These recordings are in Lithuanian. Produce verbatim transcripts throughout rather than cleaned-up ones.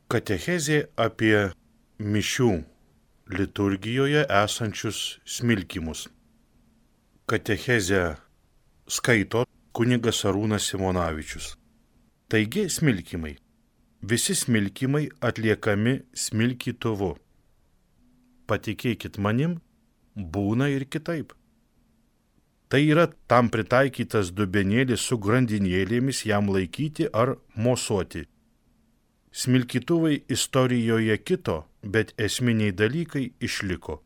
Katechezė apie mišių liturgijoje esančius smilkymus. Katechezę skaito kunigas Arūnas Simonavičius. Taigi smilkymai. Visi smilkymai atliekami smilkytuvu. Patikėkit manim, būna ir kitaip. Tai yra tam pritaikytas dubenėlis su grandinėlėmis jam laikyti ar mosuoti. Smilkytuvai istorijoje kito, bet esminiai dalykai išliko.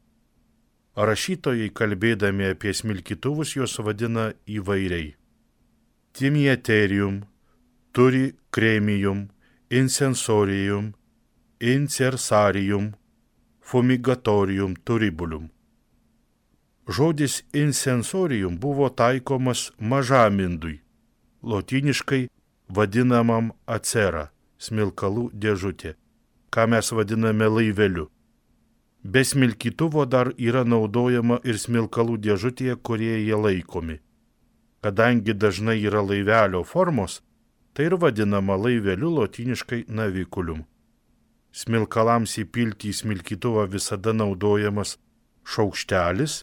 Rašytojai, kalbėdami apie smilkytuvus, juos vadina įvairiai. Timieterium, turi kremijum, incensorijum, incersarium, fumigatorium, turibulium. Žodis incensorium buvo taikomas mažam indui, lotyniškai vadinamam acera, smilkalų dėžutė, ką mes vadiname laiveliu. Be smilkytuvo dar yra naudojama ir smilkalų dėžutėje, kurie jie laikomi. Kadangi dažnai yra laivelio formos, tai ir vadinama laiveliu, lotyniškai naviculium. Smilkalams įpilti į smilkytuvą visada naudojamas šaukštelis,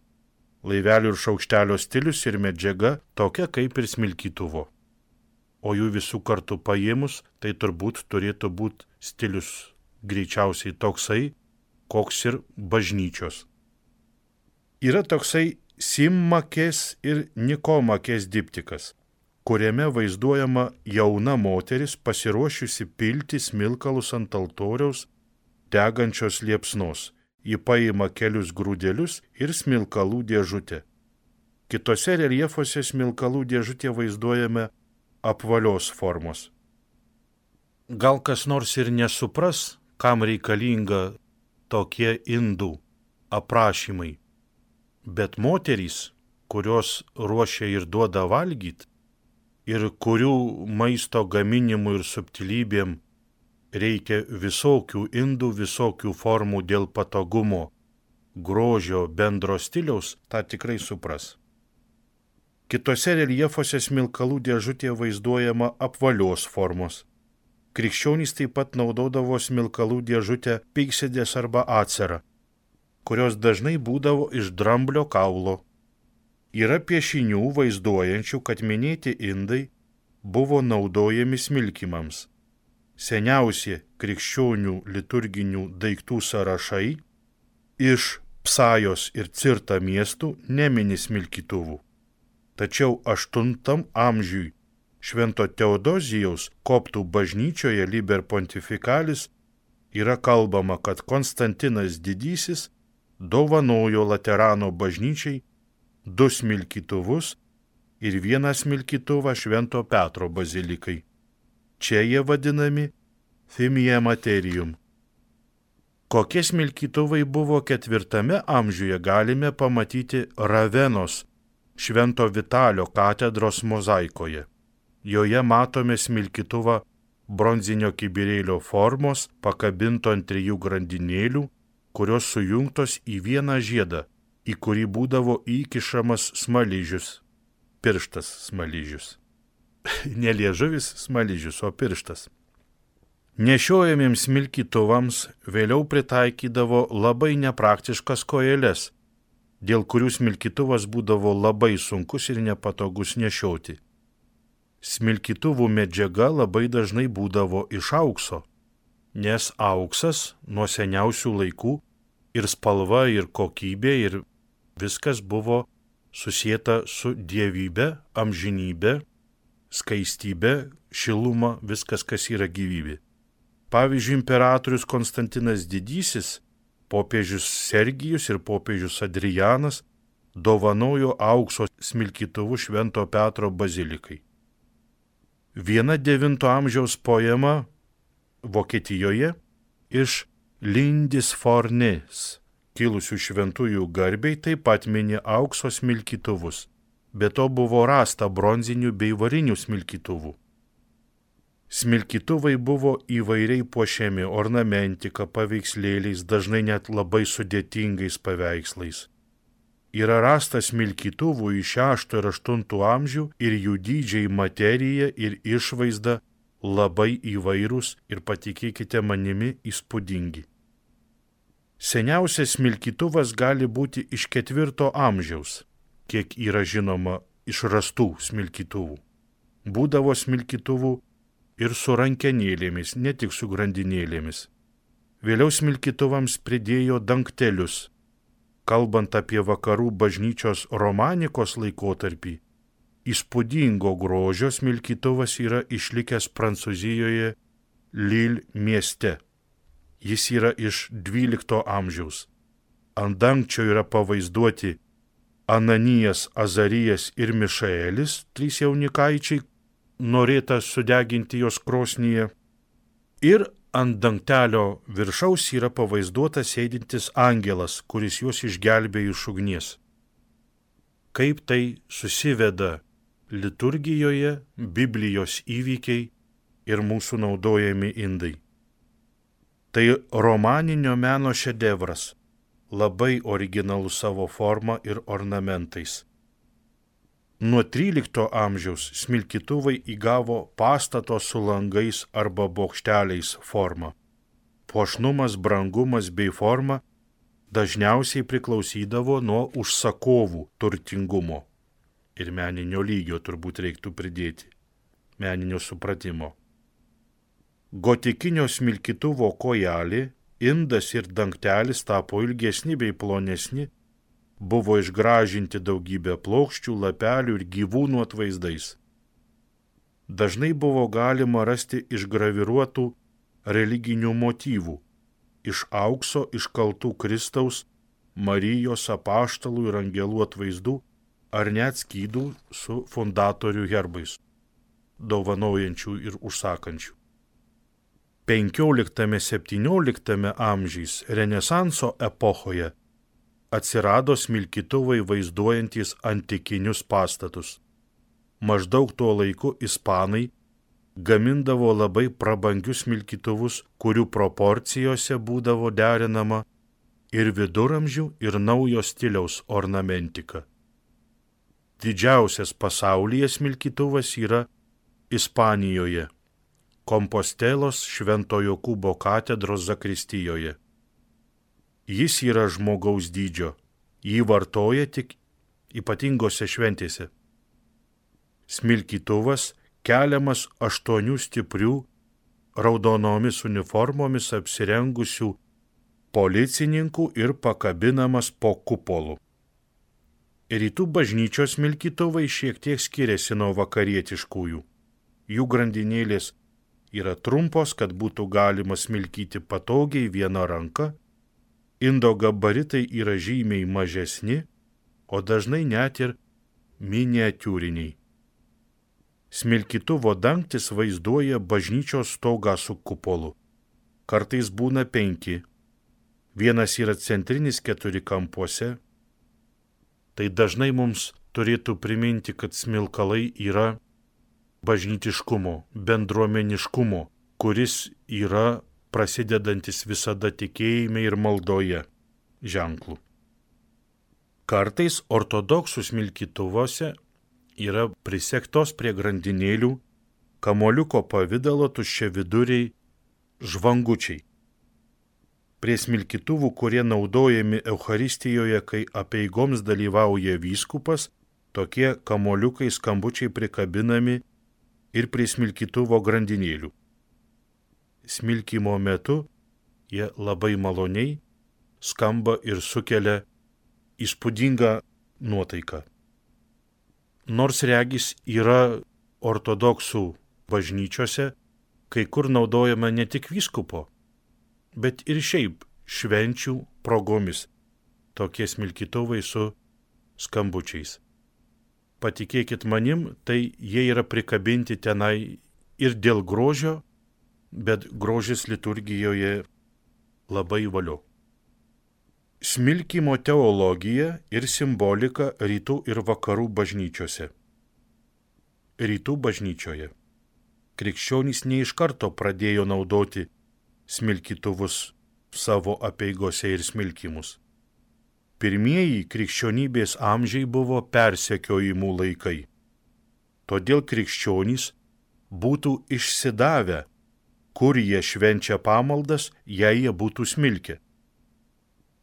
laivelio ir šaukštelio stilius ir medžiaga tokia kaip ir smilkytuvo. O jų visų kartu paėmus, tai turbūt turėtų būti stilius greičiausiai toksai, koks ir bažnyčios. Yra toksai simmakės ir nikomakės diptikas, kuriame vaizduojama jauna moteris pasiruošiusi pilti smilkalus ant altoriaus degančios liepsnos. Ji paima kelius grūdelius ir smilkalų dėžutę. Kitose reljefuose smilkalų dėžutė vaizduojame apvalios formos. Gal kas nors ir nesupras, kam reikalinga tokie indų aprašymai, bet moterys, kurios ruošia ir duoda valgyt, ir kurių maisto gaminimui ir subtilybėm reikia visokių indų, visokių formų dėl patogumo, grožio, bendro stiliaus, tą tikrai supras. Kitose reljefuose smilkalų dėžutė vaizduojama apvalios formos. Krikščionys taip pat naudodavo smilkalų dėžutę piksidės arba acerą, kurios dažnai būdavo iš dramblio kaulo. Yra piešinių vaizduojančių, kad minėti indai buvo naudojami smilkymams. Seniausi krikščionių liturginių daiktų sąrašai iš Psajos ir Cirta miestų nemini smilkytuvų. Tačiau aštuntam amžiui Švento Teodozijaus koptų bažnyčioje Liber Pontificalis yra kalbama, kad Konstantinas Didysis dovanojo Laterano bažnyčiai du smilkytuvus ir vieną smilkytuvą Švento Petro bazilikai. Čia jie vadinami Thymia Materium. Kokie smilkytuvai buvo ketvirtame amžiuje galime pamatyti Ravenos Švento Vitalio katedros mozaikoje. Joje matome smilkytuvą bronzinio kibirėlio formos, pakabinto ant trijų grandinėlių, kurios sujungtos į vieną žiedą, į kurį būdavo įkišamas smaližius, pirštas smaližius. Ne liežuvis smaližius, o pirštas. Nešiojamiems smilkytuvams vėliau pritaikydavo labai nepraktiškas kojeles, dėl kurių smilkytuvas būdavo labai sunkus ir nepatogus nešioti. Smilkytuvų medžiaga labai dažnai būdavo iš aukso, nes auksas nuo seniausių laikų ir spalva, ir kokybė, ir viskas buvo susieta su dievybe, amžinybe, skaistybe, šiluma, viskas, kas yra gyvybė. Pavyzdžiui, imperatorius Konstantinas Didysis, popiežius Sergijus ir popiežius Adrianas dovanojo aukso smilkytuvų Švento Petro bazilikai. Viena devinto amžiaus poema Vokietijoje iš Lindisfarnės kilusių šventųjų garbei taip pat mini aukso smilkytuvus, be to buvo rasta bronzinių bei varinių smilkytuvų. Smilkytuvai buvo įvairiai puošiami ornamentika, paveikslėliais, dažnai net labai sudėtingais paveikslais. Yra rasta smilkytuvų iš šešto ir aštunto amžių ir jų dydžiai, materija ir išvaizda labai įvairūs ir patikėkite manimi įspūdingi. Seniausias smilkytuvas gali būti iš ketvirto amžiaus, kiek yra žinoma iš rastų smilkytuvų. Būdavo smilkytuvų ir su rankenėlėmis, ne tik su grandinėlėmis. Vėliau smilkytuvams pridėjo dangtelius. Kalbant apie vakarų bažnyčios romanikos laikotarpį, įspūdingo grožio smilkytuvas yra išlikęs Prancūzijoje Lille mieste. Jis yra iš dvylikto amžiaus. Ant dangčio yra pavaizduoti Ananijas, Azarijas ir Mišaelis, trys jaunikaičiai, norėta sudeginti jos krosnyje. Ir ant dangtelio viršaus yra pavaizduotas sėdintis angelas, kuris juos išgelbėjo iš ugnies. Kaip tai susiveda liturgijoje, Biblijos įvykiai ir mūsų naudojami indai. Tai romaninio meno šedevras, labai originalus savo forma ir ornamentais. Nuo trylikto amžiaus smilkytuvai įgavo pastato su langais arba bokšteliais formą. Puošnumas, brangumas bei forma dažniausiai priklausydavo nuo užsakovų turtingumo ir meninio lygio, turbūt reiktų pridėti, meninio supratimo. Gotikinio smilkytuvo kojelė, indas ir dangtelis tapo ilgesni bei plonesni, buvo išgražinti daugybę plokščių, lapelių ir gyvūnų atvaizdais. Dažnai buvo galima rasti išgraviruotų religinių motyvų, iš aukso iškaltų Kristaus, Marijos, apaštalų ir angelų atvaizdų, ar net skydų su fundatorių herbais, dovanojančių ir užsakančių. penkioliktame septynioliktame amžiais Renesanso epochoje atsirado smilkytuvai vaizduojantys antikinius pastatus. Maždaug tuo laiku ispanai gamindavo labai prabangius smilkytuvus, kurių proporcijose būdavo derinama ir viduramžių, ir naujo stiliaus ornamentika. Didžiausias pasaulyje smilkytuvas yra Ispanijoje, Kompostelos Švento Jokūbo katedros zakristijoje. Jis yra žmogaus dydžio, jį vartoja tik ypatingose šventėse. Smilkytuvas keliamas aštuonių stiprių, raudonomis uniformomis apsirengusių policininkų ir pakabinamas po kupolu. Rytų bažnyčios smilkytuvai šiek tiek skiriasi nuo vakarietiškųjų. Jų grandinėlės yra trumpos, kad būtų galima smilkyti patogiai viena ranka. Indo gabaritai yra žymiai mažesni, o dažnai net ir miniatiūriniai. Smilkytuvo dangtis vaizduoja bažnyčios stogą su kupolu. Kartais būna penki. Vienas yra centrinis keturi kampuose. Tai dažnai mums turėtų priminti, kad smilkalai yra bažnytiškumo, bendruomeniškumo, kuris yra prasidedantis visada tikėjime ir maldoje ženklų. Kartais ortodoksų smilkytuvuose yra prisegtos prie grandinėlių kamoliuko pavidalo tuščiaviduriai žvangučiai. Prie smilkytuvų, kurie naudojami Eucharistijoje, kai apeigoms dalyvauja vyskupas, tokie kamoliukai skambučiai prikabinami ir prie smilkytuvo grandinėlių. Smilkymo metu jie labai maloniai skamba ir sukelia įspūdingą nuotaiką. Nors regis yra ortodoksų bažnyčiose, kai kur naudojama ne tik vyskupo, bet ir šiaip švenčių progomis tokie smilkytuvai su skambučiais. Patikėkit manim, tai jie yra prikabinti tenai ir dėl grožio, bet grožis liturgijoje labai valio. Smilkymo teologija ir simbolika rytų ir vakarų bažnyčiose. Rytų bažnyčioje krikščionys ne iš karto pradėjo naudoti smilkytuvus savo apeigose ir smilkymus. Pirmieji krikščionybės amžiai buvo persekiojimų laikai. Todėl krikščionys būtų išsidavę, kur jie švenčia pamaldas, jei jie būtų smilkę.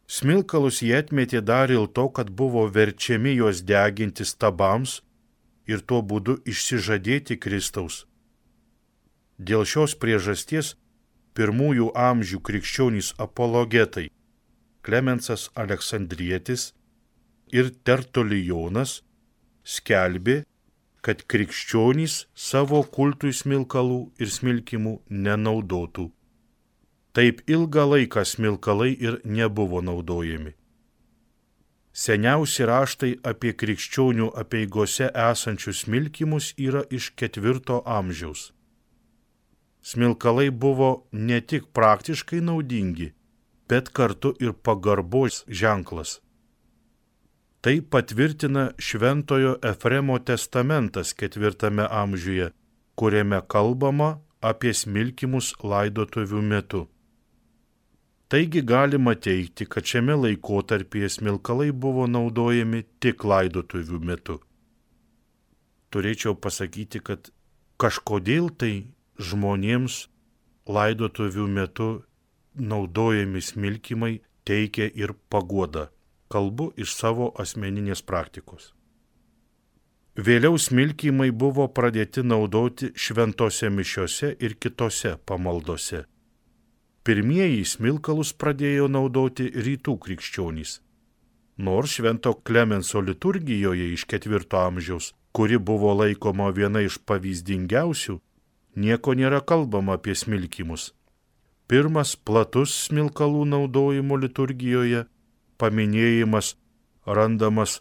Smilkalus jie atmetė dar ir to, kad buvo verčiami juos deginti stabams ir tuo būdu išsižadėti Kristaus. Dėl šios priežasties pirmųjų amžių krikščionys apologetai Klemensas Aleksandrietis ir Tertulijonas skelbė, kad krikščionys savo kultui smilkalų ir smilkimų nenaudotų. Taip ilgą laiką smilkalai ir nebuvo naudojami. Seniausi raštai apie krikščionių apeigose esančius smilkimus yra iš ketvirto amžiaus. Smilkalai buvo ne tik praktiškai naudingi, bet kartu ir pagarbos ženklas. Tai patvirtina Šventojo Efremo testamentas ketvirtame amžiuje, kuriame kalbama apie smilkimus laidotuvių metu. Taigi galima teigti, kad šiame laikotarpyje smilkalai buvo naudojami tik laidotuvių metu. Turėčiau pasakyti, kad kažkodėl tai žmonėms laidotuvių metu naudojami smilkimai teikia ir paguodą. Kalbu iš savo asmeninės praktikos. Vėliau smilkimai buvo pradėti naudoti šventose mišiose ir kitose pamaldose. Pirmieji smilkalus pradėjo naudoti rytų krikščionys. Nors Švento Klemenso liturgijoje iš ketvirto amžiaus, kuri buvo laikoma viena iš pavyzdingiausių, nieko nėra kalbama apie smilkimus. Pirmas platus smilkalų naudojimo liturgijoje paminėjimas randamas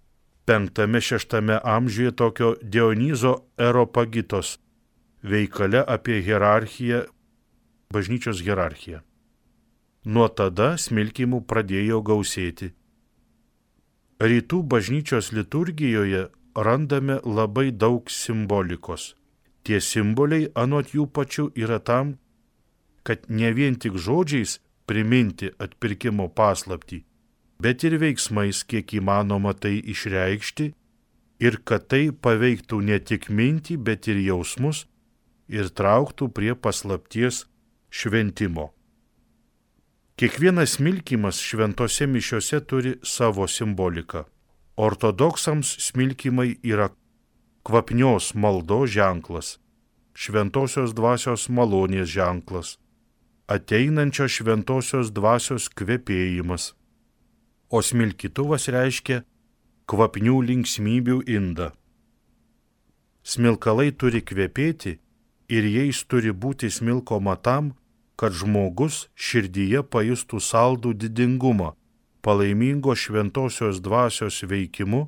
penktame šeštame amžiuje tokio Dionizo Areopagitos veikale apie hierarchiją, bažnyčios hierarchiją. Nuo tada smilkimų pradėjo gausėti. Rytų bažnyčios liturgijoje randame labai daug simbolikos. Tie simboliai anot jų pačių yra tam, kad ne vien tik žodžiais priminti atpirkimo paslaptį, bet ir veiksmais kiek įmanoma tai išreikšti ir kad tai paveiktų ne tik mintį, bet ir jausmus ir trauktų prie paslapties šventimo. Kiekvienas smilkimas šventose mišiose turi savo simboliką. Ortodoksams smilkimai yra kvapnios maldos ženklas, šventosios dvasios malonės ženklas, ateinančios šventosios dvasios kvepėjimas. O smilkytuvas reiškia kvapnių linksmybių indą. Smilkalai turi kvepėti ir jais turi būti smilkoma tam, kad žmogus širdyje pajustų saldų didingumą, palaimingo šventosios dvasios veikimu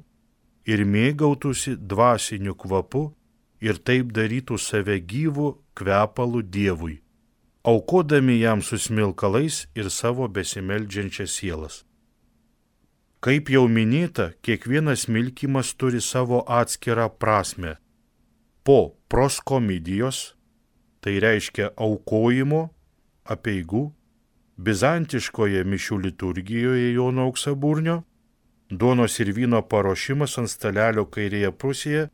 ir mėgautųsi dvasiniu kvapu ir taip darytų save gyvų kvepalų Dievui, aukodami jam su smilkalais ir savo besimeldžiančias sielas. Kaip jau minėta, kiekvienas smilkimas turi savo atskirą prasmę. Po proskomidijos, tai reiškia aukojimo, apeigų, bizantiškoje mišių liturgijoje Jono Auksaburnio, duonos ir vyno paruošimas ant stalelio kairėje pusėje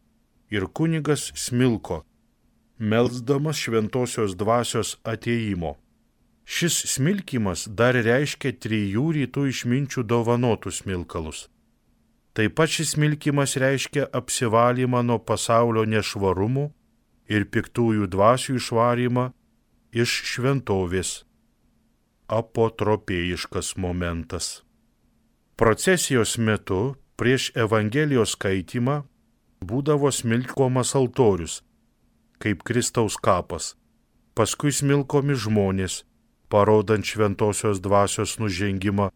ir kunigas smilko, melsdamas šventosios dvasios atėjimo. Šis smilkimas dar reiškia trijų rytų išminčių dovanotus smilkalus. Taip pat šis smilkimas reiškia apsivalymą nuo pasaulio nešvarumų ir piktųjų dvasių išvarymą iš šventovės. Apotropėjiškas momentas. Procesijos metu prieš Evangelijos skaitymą būdavo smilkomas altorius, kaip Kristaus kapas, paskui smilkomi žmonės, parodant šventosios dvasios nužengimą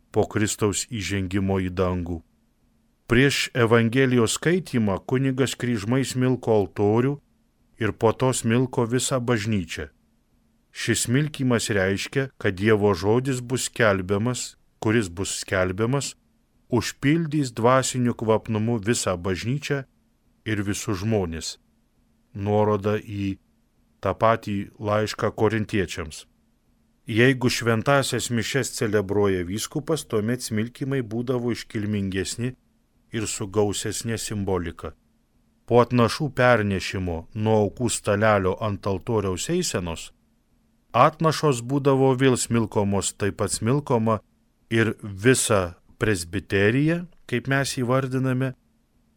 po Kristaus įžengimo į dangų. Prieš Evangelijos skaitymą kunigas kryžmais smilko altorių ir po to smilko visą bažnyčią. Šis smilkimas reiškia, kad Dievo žodis bus skelbiamas, kuris bus skelbiamas, užpildys dvasiniu kvapnumu visą bažnyčią ir visus žmonės. Nuoroda į tą patį laišką korintiečiams. Jeigu šventąsias mišias celebruoja vyskupas, tuomet smilkimai būdavo iškilmingesni ir su gausesnė simbolika. po atnašų pernešimo nuo aukų stalelio ant altoriaus eisenos, atnašos būdavo vėl smilkomos, taip pat smilkoma ir visa presbiterija, kaip mes įvardiname,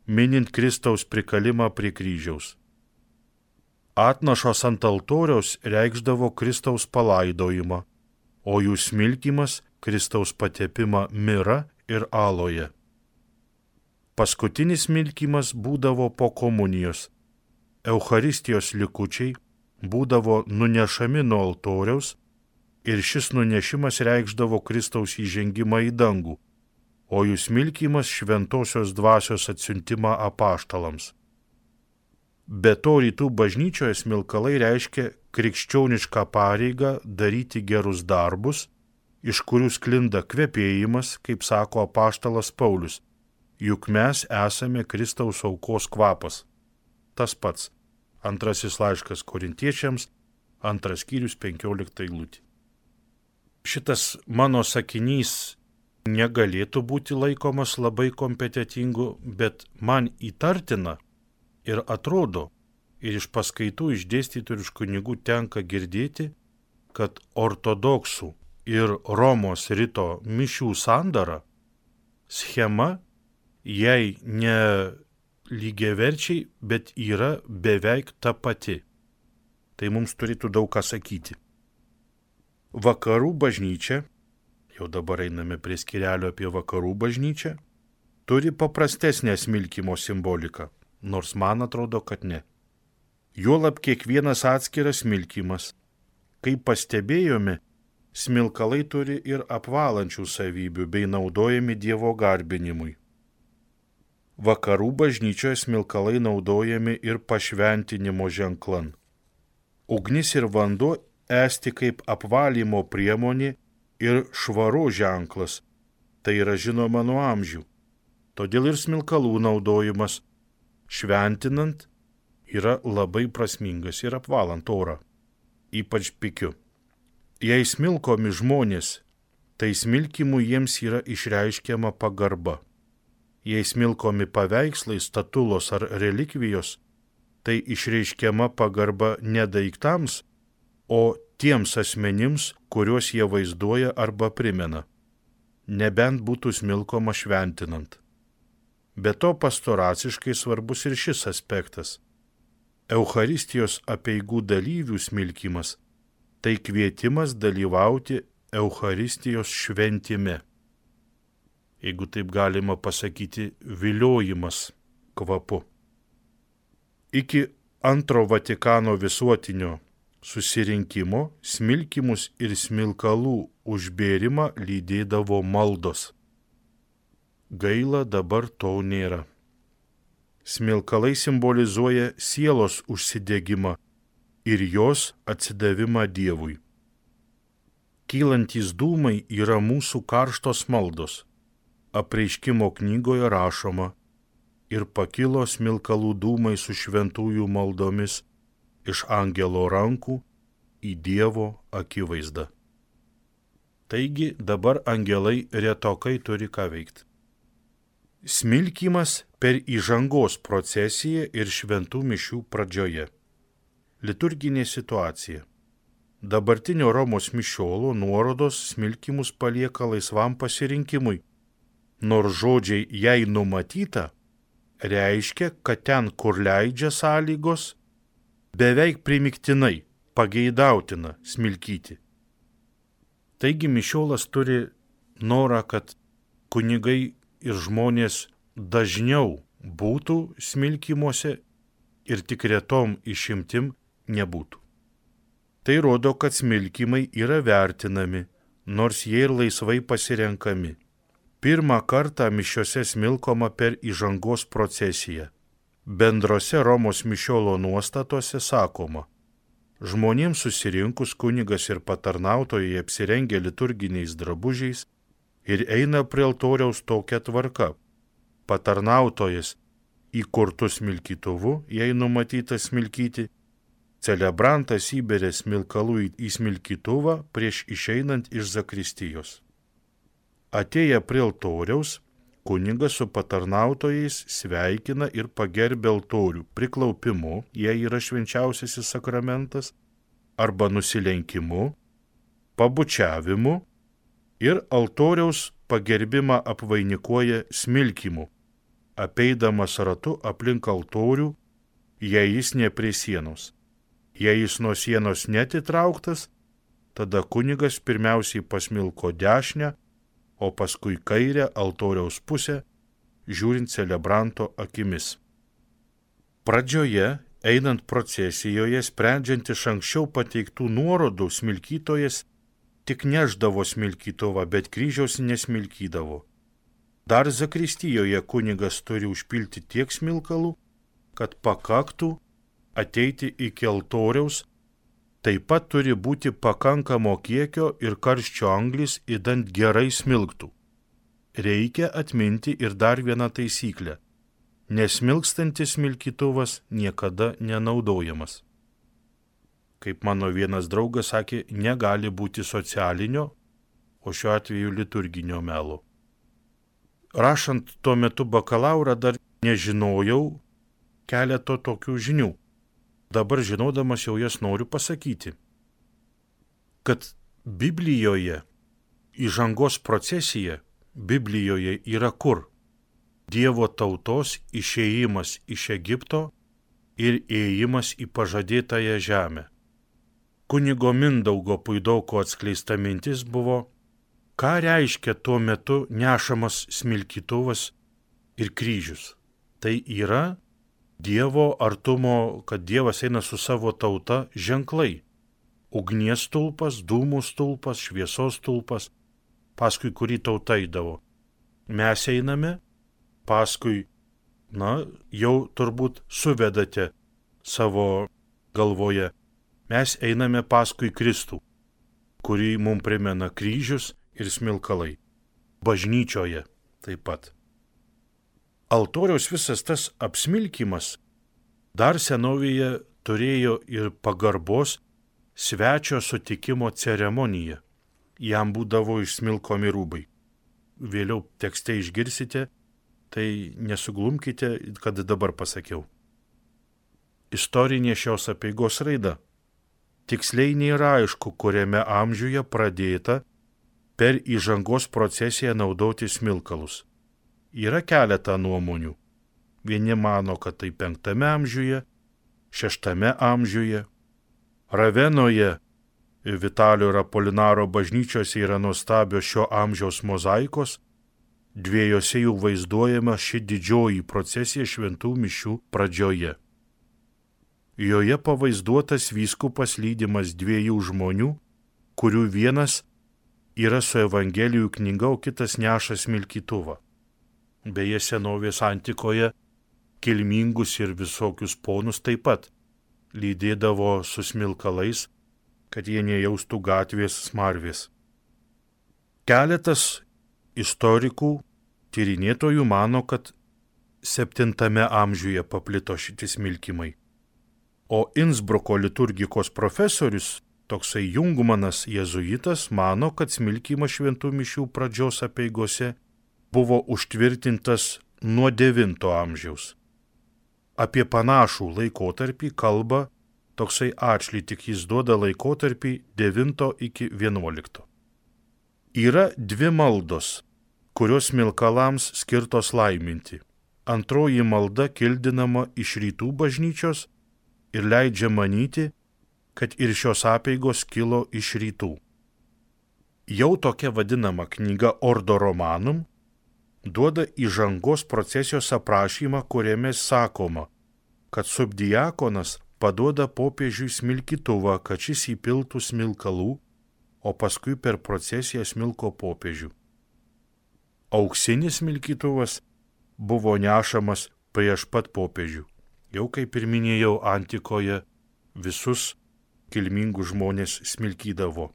minint Kristaus prikalimą prie kryžiaus. Atnašos ant altoriaus reikšdavo Kristaus palaidojimą, o jų smilkimas Kristaus patepimą mira ir aloje. Paskutinis smilkimas būdavo po komunijos. Eucharistijos likučiai būdavo nunešami nuo altoriaus ir šis nunešimas reikšdavo Kristaus įžengimą į dangų, o jų smilkimas šventosios dvasios atsiuntimą apaštalams. Be to rytų bažnyčioje smilkalai reiškia krikščionišką pareigą daryti gerus darbus, iš kurių sklinda kvepėjimas, kaip sako apaštalas Paulius, juk mes esame Kristaus aukos kvapas. Tas pats. Antrasis laiškas Korintiečiams, antras skyrius, penkiolikta eilutė. Šitas mano sakinys negalėtų būti laikomas labai kompetentingu, bet man įtartina ir atrodo, ir iš paskaitų išdėstytų ir iš kunigų tenka girdėti, kad ortodoksų ir Romos rito mišių sandara, schema, jai ne lygiaverčiai, bet yra beveik ta pati. Tai mums turėtų daug ką sakyti. Vakarų bažnyčia, jau dabar einame prie skyrelio apie vakarų bažnyčią, turi paprastesnę smilkimo simboliką, nors man atrodo, kad ne. Juolab kiekvienas atskiras smilkimas. Kaip pastebėjome, smilkalai turi ir apvalančių savybių bei naudojami Dievo garbinimui. Vakarų bažnyčioje smilkalai naudojami ir pašventinimo ženklan. Ugnis ir vanduo esti kaip apvalymo priemonė ir švaro ženklas, tai yra žinoma nuo amžių. Todėl ir smilkalų naudojimas šventinant yra labai prasmingas ir apvalant orą, ypač pikiu. Jei smilkomi žmonės, tai smilkimu jiems yra išreiškiama pagarba. Jei smilkomi paveikslai, statulos ar relikvijos, tai išreiškiama pagarba ne daiktams, o tiems asmenims, kuriuos jie vaizduoja arba primena, nebent būtų smilkoma šventinant. Be to pastoraciškai svarbus ir šis aspektas. Eucharistijos apeigų dalyvių smilkimas – tai kvietimas dalyvauti Eucharistijos šventime. Jeigu taip galima pasakyti, viliojimas kvapu. Iki antro Vatikano visuotinio susirinkimo smilkimus ir smilkalų užbėrimą lydėdavo maldos. Gaila, dabar to nėra. Smilkalai simbolizuoja sielos užsidegimą ir jos atsidavimą Dievui. Kylantys dūmai yra mūsų karštos maldos. Apreiškimo knygoje rašoma: ir pakilo smilkalų dūmai su šventųjų maldomis iš angelo rankų į Dievo akivaizdą. Taigi dabar angelai retokai turi ką veikti. Smilkimas per įžangos procesiją ir šventų mišių pradžioje. Liturginė situacija. Dabartinio Romos mišiolo nuorodos smilkimus palieka laisvam pasirinkimui, nors žodžiai jei numatyta reiškia, kad ten, kur leidžia sąlygos, beveik primiktinai pageidautina smilkyti. Taigi mišiolas turi norą, kad kunigai ir žmonės dažniau būtų smilkimuose ir tik retom išimtim nebūtų. Tai rodo, kad smilkimai yra vertinami, nors jie ir laisvai pasirenkami. Pirmą kartą mišiose smilkoma per įžangos procesiją. Bendrose Romos mišiolo nuostatose sakoma: žmonėms susirinkus kunigas ir patarnautojai apsirengia liturginiais drabužiais ir eina prie altoriaus tokia tvarka. Patarnautojas įkurtų smilkytuvu, jei numatyta smilkyti, celebrantas įberia smilkalų į smilkytuvą prieš išeinant iš zakristijos. Atėję prie altoriaus, kunigas su patarnautojais sveikina ir pagerbia altorių priklaupimu, jei yra švenčiausiasis sakramentas, arba nusilenkimu, pabučiavimu ir altoriaus pagerbimą apvainikuoja smilkimu, apeidamas ratu aplink altorių, jei jis ne prie sienos. Jei jis nuo sienos netitrauktas, tada kunigas pirmiausiai pasmilko dešinę, o paskui kairę altoriaus pusę, žiūrint celebranto akimis. Pradžioje, einant procesijoje, sprendžiant iš anksčiau pateiktų nuorodų, smilkytojas tik nešdavo smilkytuvą, bet kryžiaus nesmilkydavo. Dar zakristijoje kunigas turi užpilti tiek smilkalų, kad pakaktų ateiti iki altoriaus, taip pat turi būti pakankamo kiekio ir karščio anglis idant gerai smilktų. Reikia atminti ir dar vieną taisyklę. Nesmilkstantis smilkytuvas niekada nenaudojamas. Kaip mano vienas draugas sakė, negali būti socialinio, o šiuo atveju liturginio melo. Rašant tuo metu bakalaurą dar nežinojau keleto tokių žinių. Dabar žinodamas jau jas noriu pasakyti, kad Biblijoje įžangos procesija Biblijoje yra kur? Dievo tautos išėjimas iš Egipto ir ėjimas į pažadėtąją žemę. Kunigo Mindaugo Puidoko atskleista mintis buvo, ką reiškia tuo metu nešamas smilkytuvas ir kryžius. Tai yra Dievo artumo, kad Dievas eina su savo tauta ženklai. Ugnies stulpas, dūmų stulpas, šviesos stulpas, paskui kurį tauta eidavo. Mes einame, paskui, na, jau turbūt suvedate savo galvoje. Mes einame paskui Kristų, kurį mums primena kryžius ir smilkalai. Bažnyčioje taip pat. Altoriaus visas tas apsmilkimas dar senovėje turėjo ir pagarbos svečio sutikimo ceremoniją. Jam būdavo išsmilkomi rūbai. Vėliau tekste išgirsite, tai nesuglumkite, kad dabar pasakiau. Istorinė šios apeigos raida. Tiksliai nėra aišku, kuriame amžiuje pradėta per įžangos procesiją naudoti smilkalus. Yra keletą nuomonių. Vieni mano, kad tai penktame amžiuje, šeštame amžiuje. Ravenoje Vitalio ir Apolinaro bažnyčiose yra nuostabios šio amžiaus mozaikos, dviejose jų vaizduojama ši didžioji procesija šventų mišių pradžioje. Joje pavaizduotas vyskupas lydimas dviejų žmonių, kurių vienas yra su Evangelijų knyga, o kitas neša smilkytuvą. Beje, senovės antikoje kilmingus ir visokius ponus taip pat lydėdavo su smilkalais, kad jie nejaustų gatvės smarvės. Keletas istorikų, tyrinėtojų mano, kad septintame amžiuje paplito šitie smilkimai. O Innsbruko liturgikos profesorius, toksai Jungmanas jėzuitas, mano, kad smilkimas šventų mišių pradžios apeigose buvo užtvirtintas nuo devinto amžiaus. Apie panašų laikotarpį kalba toksai Atšli, tik jis duoda laikotarpį devinto iki vienuolikto. Yra dvi maldos, kurios smilkalams skirtos laiminti. Antroji malda kildinama iš rytų bažnyčios ir leidžia manyti, kad ir šios apeigos kilo iš rytų. Jau tokia vadinama knyga Ordo Romanum duoda įžangos procesijos aprašymą, kuriame sakoma, kad subdiakonas paduoda popiežiui smilkytuvą, kad šis įpiltų smilkalų, o paskui per procesiją smilko popiežių. Auksinis smilkytuvas buvo nešamas prieš pat popiežių. Jau kaip ir minėjau, antikoje visus kilmingus žmonės smilkydavo.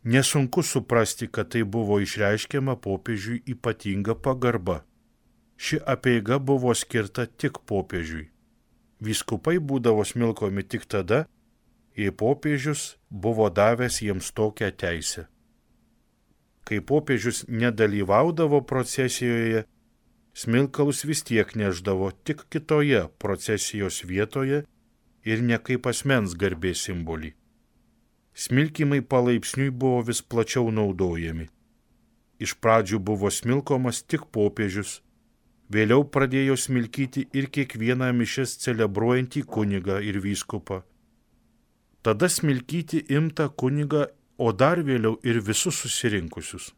Nesunku suprasti, kad tai buvo išreiškiama popiežiui ypatinga pagarba. Ši apeiga buvo skirta tik popiežiui. Vyskupai būdavo smilkomi tik tada, jei popiežius buvo davęs jiems tokią teisę. kai popiežius nedalyvaudavo procesijoje, smilkalus vis tiek neždavo tik kitoje procesijos vietoje ir ne kaip asmens garbės simbolį. Smilkimai palaipsniui buvo vis plačiau naudojami. Iš pradžių buvo smilkomas tik popiežius, vėliau pradėjo smilkyti ir kiekvieną mišes celebruojantį kunigą ir vyskupą. Tada smilkyti imta kunigą, o dar vėliau ir visus susirinkusius.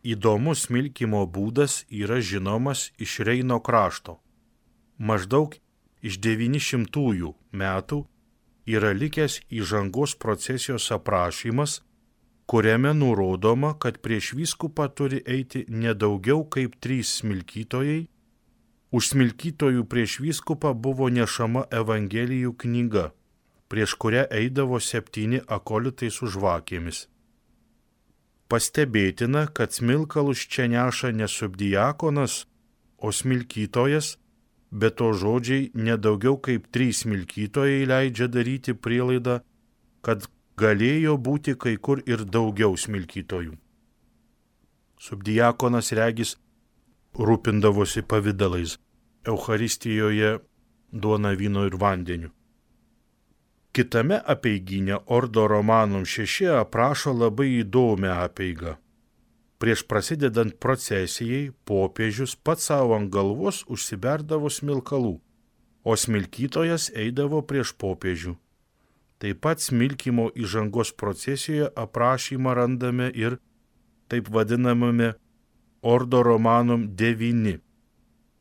Įdomus smilkimo būdas yra žinomas iš Reino krašto. Maždaug iš devynišimtųjų metų yra likęs įžangos procesijos aprašymas, kuriame nurodoma, kad prieš vyskupą turi eiti nedaugiau kaip trys smilkytojai. Už smilkytojų prieš vyskupą buvo nešama Evangelijų knyga, prieš kurią eidavo septyni akolitai su žvakėmis. Pastebėtina, kad smilkalus čia neša ne subdiakonas, o smilkytojas, bet to žodžiai nedaugiau kaip trys smilkytojai leidžia daryti prielaidą, kad galėjo būti kai kur ir daugiau smilkytojų. Subdiakonas regis rūpindavosi pavidalais, Eucharistijoje duona, vyno ir vandeniu. Kitame apeigyne Ordo Romanum šeši aprašo labai įdomią apeigą. Prieš prasidedant procesijai popiežius pats savo ant galvos užsiberdavo smilkalų, o smilkytojas eidavo prieš popiežių. Taip pat smilkimo įžangos procesijoje aprašymą randame ir taip vadinamame Ordo Romanum devyni.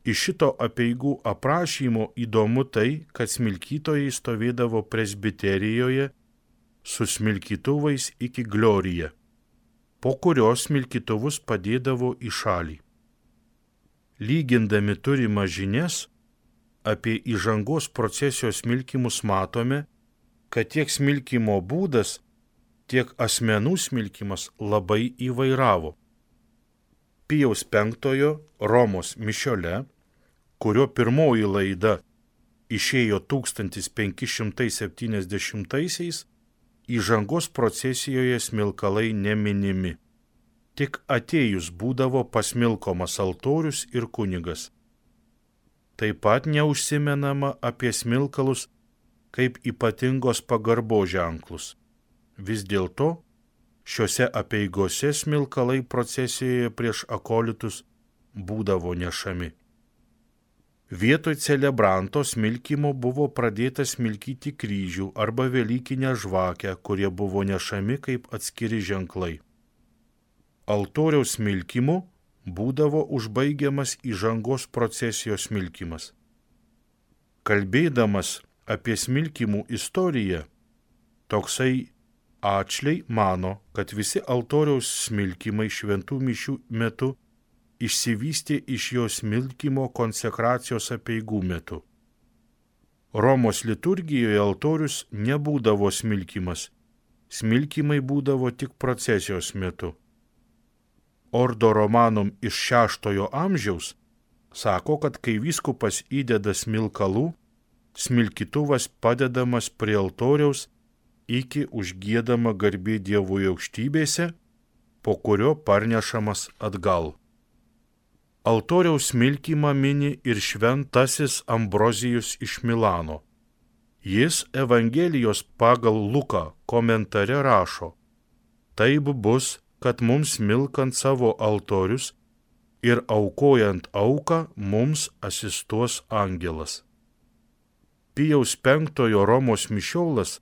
Iš šito apeigų aprašymo įdomu tai, kad smilkytojai stovėdavo presbiterijoje su smilkytuvais iki Glorija, po kurios smilkytuvus padėdavo į šalį. Lygindami turimą žinias apie įžangos procesijos smilkymus matome, kad tiek smilkymo būdas, tiek asmenų smilkymas labai įvairavo. Pijaus penktojo Romos mišiole, kurio pirmoji laida išėjo tūkstantis penki šimtai septyniasdešimtaisiais, įžangos procesijoje smilkalai neminimi. Tik atėjus būdavo pasmilkomas altorius ir kunigas. Taip pat neužsimenama apie smilkalus kaip ypatingos pagarbos ženklus. Vis dėlto, šiuose apeigose smilkalai procesijoje prieš akolitus būdavo nešami. Vietoj celebranto smilkymo buvo pradėta smilkyti kryžių arba velykinę žvakę, kurie buvo nešami kaip atskiri ženklai. Altoriaus smilkymu būdavo užbaigiamas įžangos procesijos smilkymas. Kalbėdamas apie smilkymų istoriją, toksai Ačliai mano, kad visi altoriaus smilkymai šventų mišių metu išsivystė iš jo smilkymo konsekracijos apeigų metu. Romos liturgijoje altorius nebūdavo smilkymas, smilkymai būdavo tik procesijos metu. Ordo Romanum iš šeštojo amžiaus sako, kad kai vyskupas įdeda smilkalų, smilkytuvas padedamas prie altoriaus iki užgiedama garbė Dievui aukštybėse, po kurio parnešamas atgal. Altoriaus smilkymą mini ir šventasis Ambrozijus iš Milano. Jis Evangelijos pagal Luką komentare rašo: taip bus, kad mums smilkant savo altorius ir aukojant auką mums asistuos angelas. Pijaus penktojo Romos mišiolas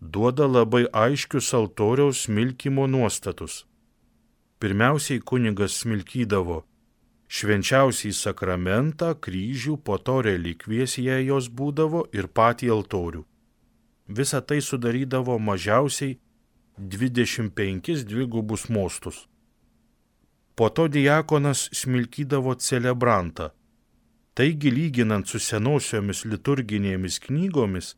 duoda labai aiškius altoriaus smilkymo nuostatus. Pirmiausiai kunigas smilkydavo švenčiausiai sakramentą, kryžių, po to relikvijas, jei jos būdavo, ir patį altorių. Visa tai sudarydavo mažiausiai dvidešimt penkis dvigubus mostus. Po to diakonas smilkydavo celebrantą. Taigi, lyginant su senosiomis liturginėmis knygomis,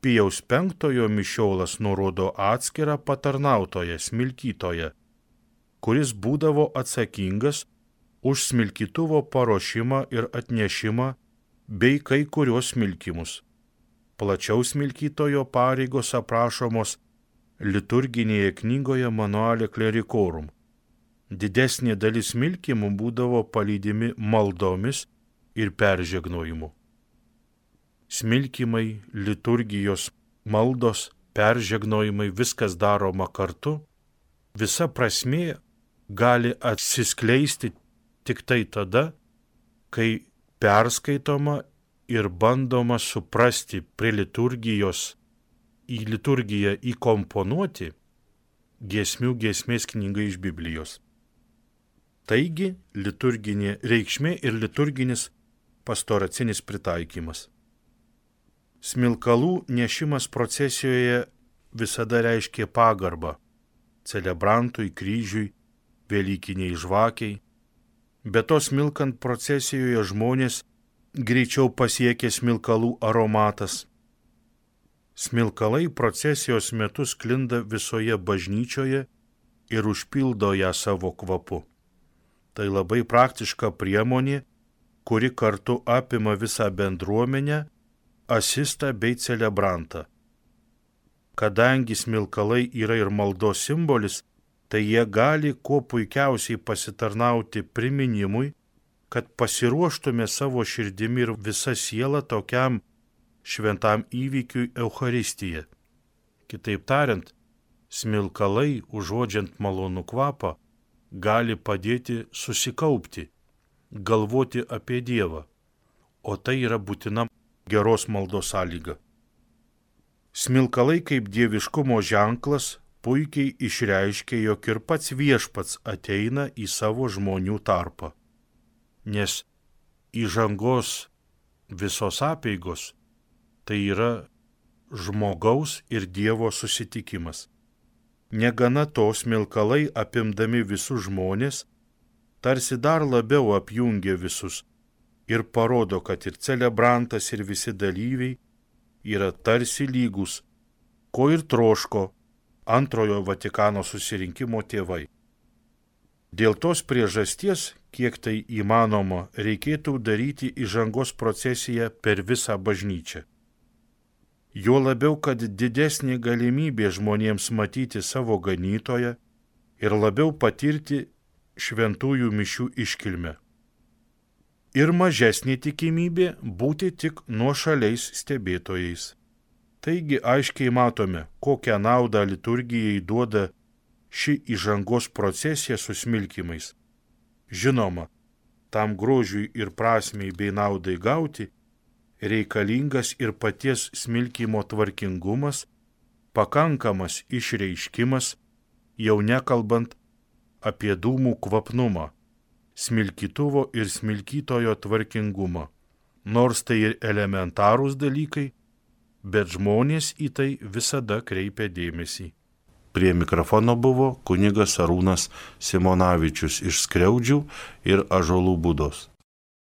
Pijaus penktojo mišiolas nurodo atskirą patarnautoją, smilkytoją, kuris būdavo atsakingas už smilkytuvo paruošimą ir atnešimą bei kai kurios smilkymus. Plačiau smilkytojo pareigos aprašomos liturginėje knygoje Manuale Clericorum, didesnė dalis smilkymų būdavo palydimi maldomis ir peržegnojimu. Smilkymai, liturgijos, maldos, peržegnojimai, viskas daroma kartu, visa prasmė gali atsiskleisti tik tai tada, kai perskaitoma ir bandoma suprasti prie liturgijos, į liturgiją įkomponuoti giesmių giesmės knygą iš Biblijos. Taigi, liturginė reikšmė ir liturginis pastoracinis pritaikymas. Smilkalų nešimas procesijoje visada reiškė pagarbą celebrantui, kryžiui, velykiniai žvakiai. Be to smilkant procesijoje žmonės greičiau pasiekė smilkalų aromatas. Smilkalai procesijos metu sklinda visoje bažnyčioje ir užpildo ją savo kvapu. Tai labai praktiška priemonė, kuri kartu apima visą bendruomenę, asistą bei celebrantą. Kadangi smilkalai yra ir maldos simbolis, tai jie gali kuo puikiausiai pasitarnauti priminimui, kad pasiruoštume savo širdimi ir visą sielą tokiam šventam įvykiui Eucharistija. Kitaip tariant, smilkalai, užuodžiant malonų kvapą, gali padėti susikaupti, galvoti apie Dievą, o tai yra būtina geros maldos sąlyga. Smilkalai kaip dieviškumo ženklas puikiai išreiškia, jog ir pats viešpats ateina į savo žmonių tarpą, nes įžangos visos apeigos tai yra žmogaus ir Dievo susitikimas. Negana to, smilkalai apimdami visus žmonės, tarsi dar labiau apjungia visus ir parodo, kad ir celebrantas ir visi dalyviai yra tarsi lygus, ko ir troško antrojo Vatikano susirinkimo tėvai. Dėl tos priežasties, kiek tai įmanoma, reikėtų daryti įžangos procesiją per visą bažnyčią. Jo labiau, kad didesnė galimybė žmonėms matyti savo ganytoją ir labiau patirti šventųjų mišių iškilmę. Ir mažesnė tikimybė būti tik nuošaliais stebėtojais. Taigi aiškiai matome, kokią naudą liturgijai duoda ši įžangos procesija su smilkymais. Žinoma, tam grožiui ir prasmei bei naudai gauti reikalingas ir paties smilkymo tvarkingumas, pakankamas išreiškimas, jau nekalbant apie dūmų kvapnumą, smilkytuvo ir smilkytojo tvarkingumą. Nors tai ir elementarūs dalykai, bet žmonės į tai visada kreipia dėmesį. Prie mikrofono buvo kunigas Arūnas Simonavičius iš Skriaudžių ir Ąžuolų Būdos.